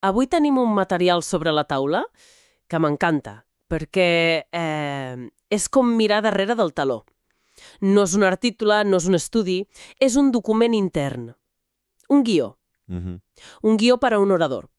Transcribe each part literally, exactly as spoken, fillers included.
Avui tenim un material sobre la taula que m'encanta, perquè eh, és com mirar darrere del taló. No és un article, no és un estudi, és un document intern. Un guió. Mhm. Un guió per a un orador.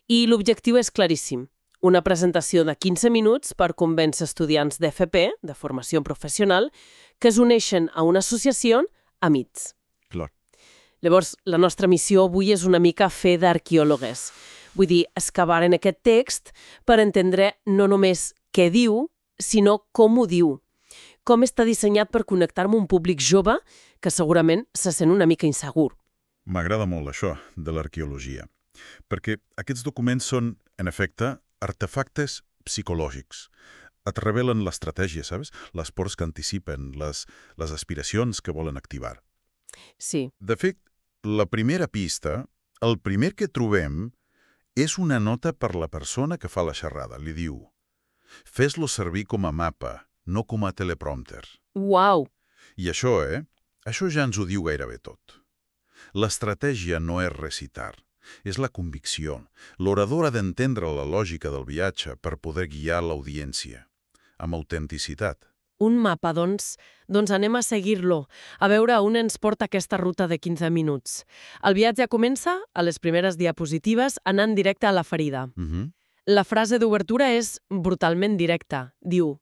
I l'objectiu és claríssim. Una presentació de quinze minuts per convèncer estudiants d'F P, de formació professional, que es uneixen a una associació Amics. Clar. Llavors, la nostra missió avui és una mica fer d'arqueòlogues. Vull dir, excavar en aquest text per entendre no només què diu, sinó com ho diu. Com està dissenyat per connectar amb un públic jove que segurament se sent una mica insegur. M'agrada molt això de l'arqueologia, perquè aquests documents són, en efecte, artefactes psicològics. Et revelen l'estratègia, saps? Les pors que anticipen, les, les aspiracions que volen activar. Sí, De fet, la primera pista, el primer que trobem, és una nota per la persona que fa la xerrada. Li diu: fes-lo servir com a mapa, no com a teleprompter. uau, I això, eh? Això ja ens ho diu gairebé tot. L'estratègia no és recitar, és la convicció. L'orador ha d'entendre la lògica del viatge per poder guiar l'audiència, amb autenticitat. un mapa, doncs, doncs anem a seguir-lo, a veure on ens porta aquesta ruta de quinze minuts. El viatge comença, a les primeres diapositives, anant directe a la ferida. Mhm. La frase d'obertura és brutalment directa. Diu: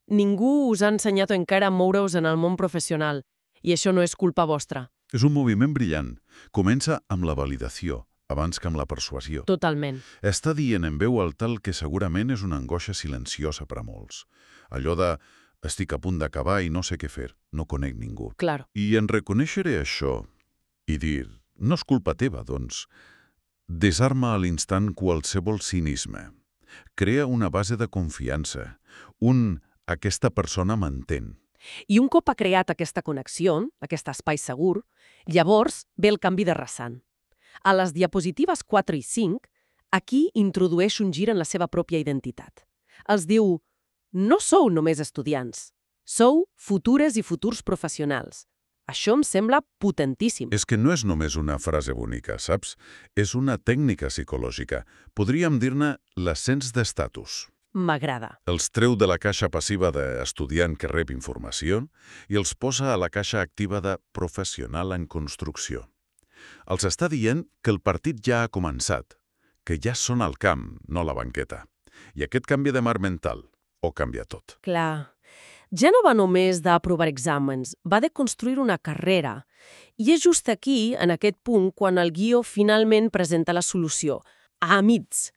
ningú us ha ensenyat encara a moure-us en el món professional, i això no és culpa vostra. És un moviment brillant. Comença amb la validació, abans que amb la persuasió. Totalment. Està dient en veu alta el que segurament és una angoixa silenciosa per a molts. Allò de estic a punt d'acabar i no sé què fer, no conec ningú. Clar. I en reconèixer això i dir, no és culpa teva, doncs, desarma a l'instant qualsevol cinisme. Crea una base de confiança, un aquesta persona m'entén. I un cop ha creat aquesta connexió, aquest espai segur, llavors ve el canvi de rasant. A les diapositives quatre i cinc, aquí introdueix un gir en la seva pròpia identitat. Els diu: no sou només estudiants, sou futures i futurs professionals. Això em sembla potentíssim. És que no és només una frase bonica, saps? És una tècnica psicològica. Podríem dir-ne l'ascens d'estatus. M'agrada. Els treu de la caixa passiva d'estudiant que rep informació i els posa a la caixa activa de professional en construcció. Els està dient que el partit ja ha començat, que ja són al camp, no a la banqueta. I aquest canvi de mar mental ho canvia tot. Clar. Ja no va només d'aprovar exàmens, va de construir una carrera. I és just aquí, en aquest punt, quan el guió finalment presenta la solució. A Amics.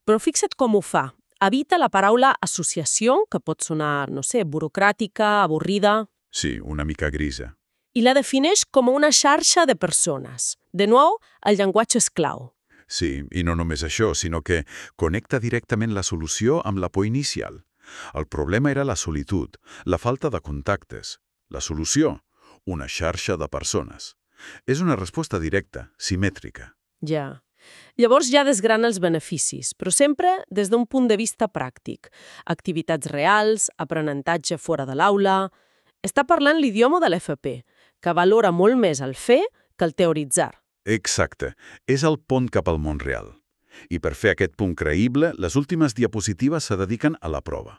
Però fixa't com ho fa. Evita la paraula associació, que pot sonar, no sé, burocràtica, avorrida, Sí, una mica grisa. i la defineix com una xarxa de persones. De nou, el llenguatge és clau. Sí, i no només això, sinó que connecta directament la solució amb la por inicial. El problema era la solitud, la falta de contactes. La solució, una xarxa de persones. És una resposta directa, simètrica. Ja. Llavors ja desgrana els beneficis, però sempre des d'un punt de vista pràctic. Activitats reals, aprenentatge fora de l'aula... Està parlant l'idioma de l'F P, que valora molt més el fer que el teoritzar. Exacte. És el pont cap al món real. I per fer aquest punt creïble, les últimes diapositives se dediquen a la prova.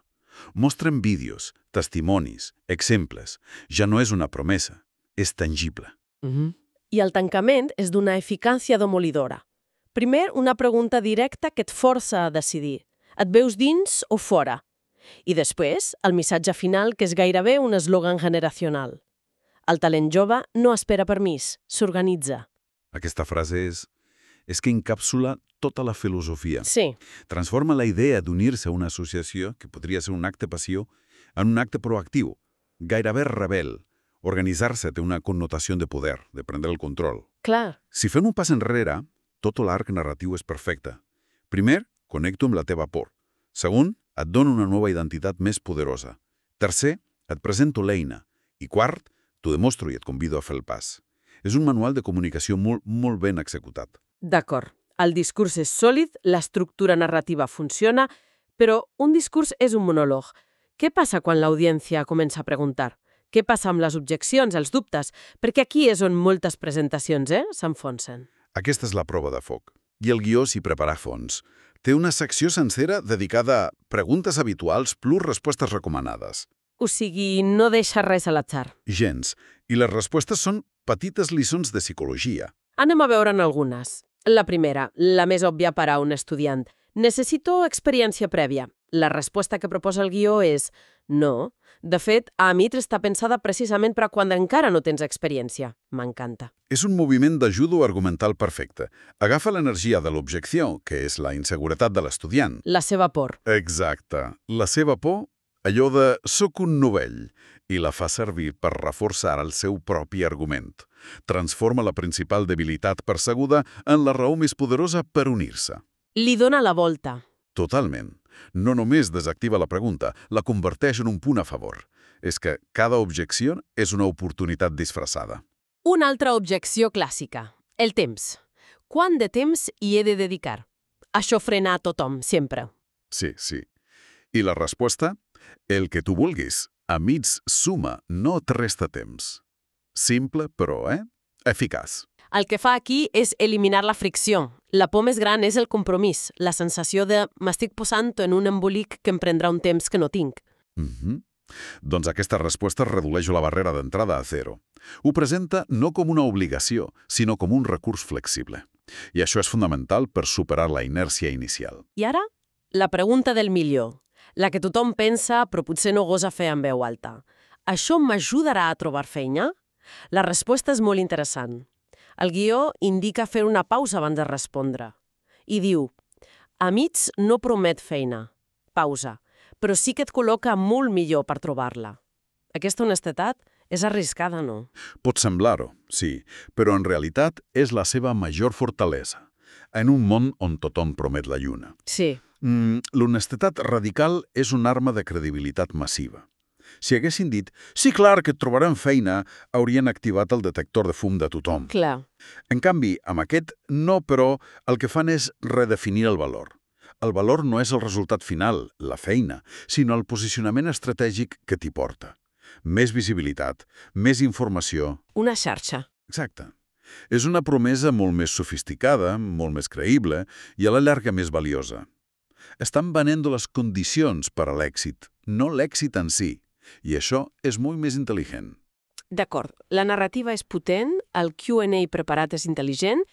Mostren vídeos, testimonis, exemples. Ja no és una promesa, és tangible. Mm-hmm. I el tancament és d'una eficàcia demolidora. Primer, una pregunta directa que et força a decidir. Et veus dins o fora? I després, el missatge final, que és gairebé un eslògan generacional. El talent jove no espera permís, s'organitza. Aquesta frase és... és que encàpsula tota la filosofia. Sí, Transforma la idea d'unir-se a una associació, que podria ser un acte passiu, en un acte proactiu, gairebé rebel. Organitzar-se té una connotació de poder, de prendre el control. clar. Si fem un pas enrere, tot l'arc narratiu és perfecte. Primer, connecto amb la teva por. Segon, et dono una nova identitat més poderosa. Tercer, et presento l'eina. I quart, t'ho demostro i et convido a fer el pas. És un manual de comunicació molt, molt ben executat. D'acord. El discurs és sòlid, l'estructura narrativa funciona, però un discurs és un monòleg. Què passa quan l'audiència comença a preguntar? Què passa amb les objeccions, els dubtes? Perquè aquí és on moltes presentacions, eh, s'enfonsen. Aquesta és la prova de foc. I el guió s'hi prepara a fons. Té una secció sencera dedicada a preguntes habituals plus respostes recomanades. O sigui, no deixa res a l'atzar. Gens. I les respostes són petites lliçons de psicologia. Anem a veure'n algunes. La primera, la més òbvia per a un estudiant. Necessito experiència prèvia. La resposta que proposa el guió és no. De fet, a Amics està pensada precisament per a quan encara no tens experiència. M'encanta. És un moviment d'ajuda argumental perfecte. Agafa l'energia de l'objecció, que és la inseguretat de l'estudiant. La seva por. Exacte. La seva por, allò de «soc un novell», i la fa servir per reforçar el seu propi argument. Transforma la principal debilitat percebuda en la raó més poderosa per unir-se. Li dona la volta. Totalment. No només desactiva la pregunta, la converteix en un punt a favor. És que cada objecció és una oportunitat disfressada. Una altra objecció clàssica. El temps. Quant de temps hi he de dedicar? Això frena a tothom, sempre. Sí, sí. I la resposta? El que tu vulguis. A mig suma, no et resta temps. Simple, però, eh? Eficaç. El que fa aquí és eliminar la fricció. La por més gran és el compromís, la sensació de m'estic posant en un embolic que em prendrà un temps que no tinc. Mm-hmm. Doncs aquesta resposta redueix la barrera d'entrada a zero. Ho presenta no com una obligació, sinó com un recurs flexible. I això és fonamental per superar la inèrcia inicial. I ara, la pregunta del milió. La que tothom pensa, però potser no gosa fer en veu alta. Això m'ajudarà a trobar feina? La resposta és molt interessant. El guió indica fer una pausa abans de respondre. I diu, Amics no promet feina. Pausa. Però sí que et col·loca molt millor per trobar-la. Aquesta honestedat és arriscada, no? Pot semblar-ho, sí, però en realitat és la seva major fortalesa. En un món on tothom promet la lluna. Sí. Mm, L'honestedat radical és una arma de credibilitat massiva. Si haguessin dit, sí, clar, que et trobarem feina, haurien activat el detector de fum de tothom. Clar. En canvi, amb aquest no, però, el que fan és redefinir el valor. El valor no és el resultat final, la feina, sinó el posicionament estratègic que t'hi porta. Més visibilitat, més informació... Una xarxa. Exacte. És una promesa molt més sofisticada, molt més creïble i a la llarga més valiosa. Estan venent les condicions per a l'èxit, no l'èxit en si. I això és molt més intel·ligent. D'acord, la narrativa és potent, el Q and A preparat és intel·ligent,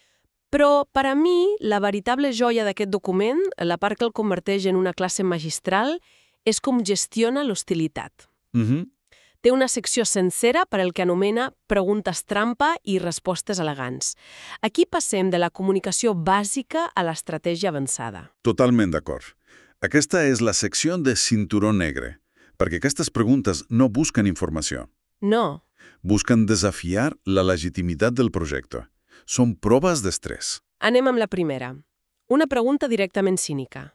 però per a mi la veritable joia d'aquest document, la part que el converteix en una classe magistral, és com gestiona l'hostilitat. Mhm. Té una secció sencera per al que anomena preguntes trampa i respostes elegants. Aquí passem de la comunicació bàsica a l'estratègia avançada. Totalment d'acord. Aquesta és la secció de cinturó negre, perquè aquestes preguntes no busquen informació. No. Busquen desafiar la legitimitat del projecte. Són proves d'estrès. Anem amb la primera. Una pregunta directament cínica.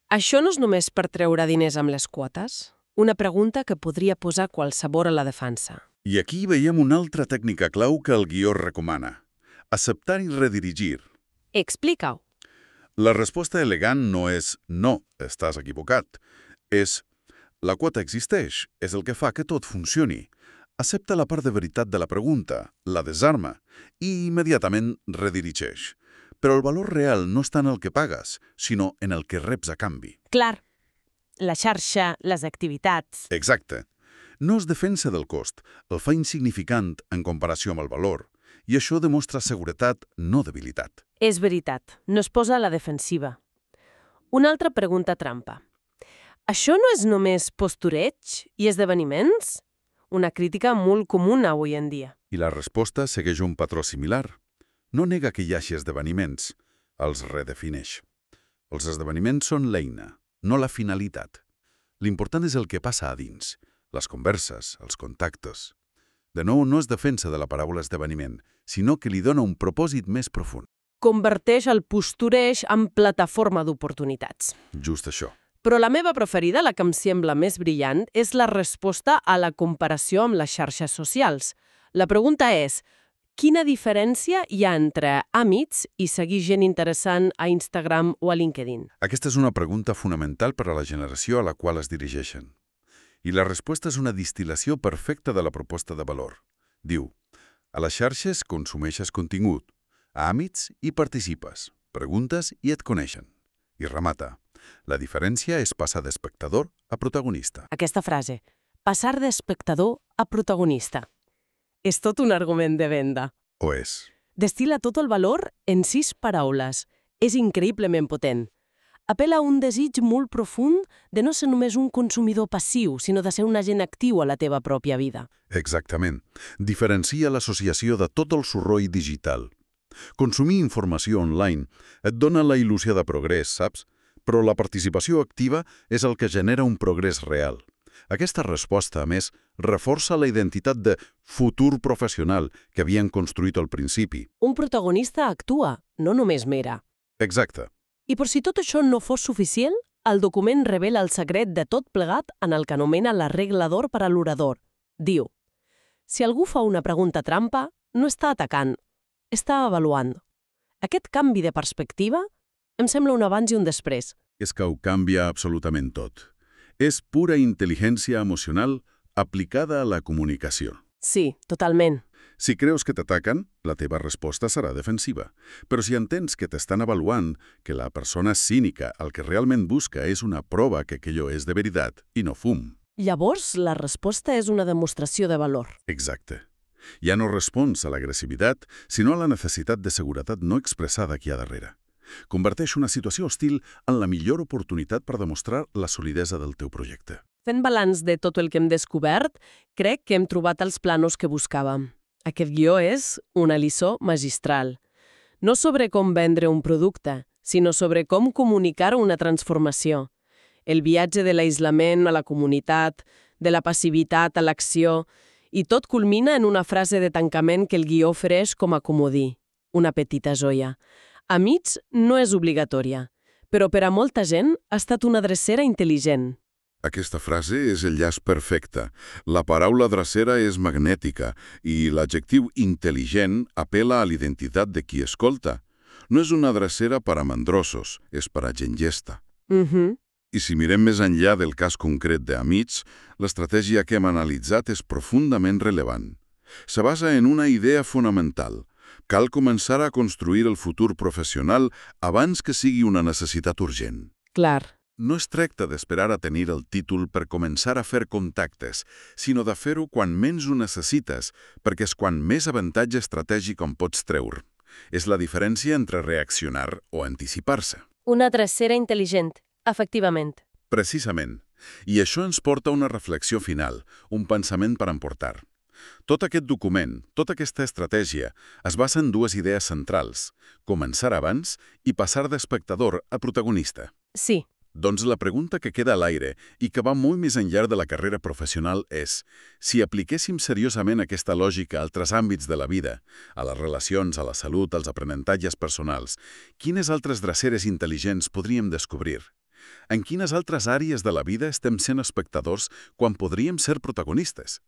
Això no és només per treure diners amb les quotes? Una pregunta que podria posar qualsevol a la defensa. I aquí veiem una altra tècnica clau que el guió recomana. Acceptar i redirigir. Explica-ho. La resposta elegant no és «no, estàs equivocat». És «la quota existeix, és el que fa que tot funcioni». Accepta la part de veritat de la pregunta, la desarma, i immediatament redirigeix. Però el valor real no està en el que pagues, sinó en el que reps a canvi. Clar. La xarxa, les activitats... Exacte. No es defensa del cost, el fa insignificant en comparació amb el valor, i això demostra seguretat, no debilitat. És veritat, no es posa a la defensiva. Una altra pregunta trampa. Això no és només postureig i esdeveniments? Una crítica molt comuna avui en dia. I la resposta segueix un patró similar. No nega que hi hagi esdeveniments, els redefineix. Els esdeveniments són l'eina, no la finalitat. L'important és el que passa a dins, les converses, els contactes. De nou, no es defensa de la paraula esdeveniment, sinó que li dona un propòsit més profund. Converteix el postureig en plataforma d'oportunitats. Just això. Però la meva preferida, la que em sembla més brillant, és la resposta a la comparació amb les xarxes socials. La pregunta és, quina diferència hi ha entre Amics i seguir gent interessant a Instagram o a LinkedIn? Aquesta és una pregunta fonamental per a la generació a la qual es dirigeixen. I la resposta és una distil·lació perfecta de la proposta de valor. Diu, a les xarxes consumeixes contingut, a Amics hi participes. Preguntes i et coneixen. I remata. La diferència és passar d'espectador a protagonista. Aquesta frase, passar d'espectador a protagonista. És tot un argument de venda. O és. Destila tot el valor en sis paraules. És increïblement potent. Apela a un desig molt profund de no ser només un consumidor passiu, sinó de ser un agent actiu a la teva pròpia vida. Exactament. Diferencia l'associació de tot el soroll digital. Consumir informació online et dona la il·lusió de progrés, saps? Però la participació activa és el que genera un progrés real. Aquesta resposta, a més, reforça la identitat de futur professional que havien construït al principi. Un protagonista actua, no només mira. Exacte. I per si tot això no fos suficient, el document revela el secret de tot plegat en el que anomena la regla d'or per a l'orador. Diu, si algú fa una pregunta trampa, no està atacant, està avaluant. Aquest canvi de perspectiva em sembla un abans i un després. És que ho canvia absolutament tot. És pura intel·ligència emocional aplicada a la comunicació. Sí, totalment. Si creus que t'ataquen, la teva resposta serà defensiva. Però si entens que t'estan avaluant, que la persona cínica el que realment busca és una prova que aquello és de veritat i no fum. Llavors, la resposta és una demostració de valor. Exacte. Ja no respons a l'agressivitat, sinó a la necessitat de seguretat no expressada aquí a darrere. Converteix una situació hostil en la millor oportunitat per demostrar la solidesa del teu projecte. Fent balanç de tot el que hem descobert, crec que hem trobat els plànols que buscàvem. Aquest guió és una lliçó magistral. No sobre com vendre un producte, sinó sobre com comunicar una transformació. El viatge de l'aïslament a la comunitat, de la passivitat a l'acció, i tot culmina en una frase de tancament que el guió ofereix com a comodí, una petita joia. A mig no és obligatòria, però per a molta gent ha estat una drecera intel·ligent. Aquesta frase és el llaç perfecte. La paraula drecera és magnètica i l'adjectiu intel·ligent apela a l'identitat de qui escolta. No és una drecera per a mandrosos, és per a gent llesta. Mhm. I si mirem més enllà del cas concret d'Amics, l'estratègia que hem analitzat és profundament rellevant. Se basa en una idea fonamental. Cal començar a construir el futur professional abans que sigui una necessitat urgent. Clar. No es tracta d'esperar a tenir el títol per començar a fer contactes, sinó de fer-ho quan menys ho necessites, perquè és quan més avantatge estratègic en pots treure. És la diferència entre reaccionar o anticipar-se. Una drecera intel·ligent, efectivament. Precisament. I això ens porta a una reflexió final, un pensament per emportar. Tot aquest document, tota aquesta estratègia, es basa en dues idees centrals, començar abans i passar d'espectador a protagonista. Sí. Doncs la pregunta que queda a l'aire i que va molt més enllà de la carrera professional és si apliquéssim seriosament aquesta lògica a altres àmbits de la vida, a les relacions, a la salut, als aprenentatges personals, quines altres dreceres intel·ligents podríem descobrir? En quines altres àrees de la vida estem sent espectadors quan podríem ser protagonistes?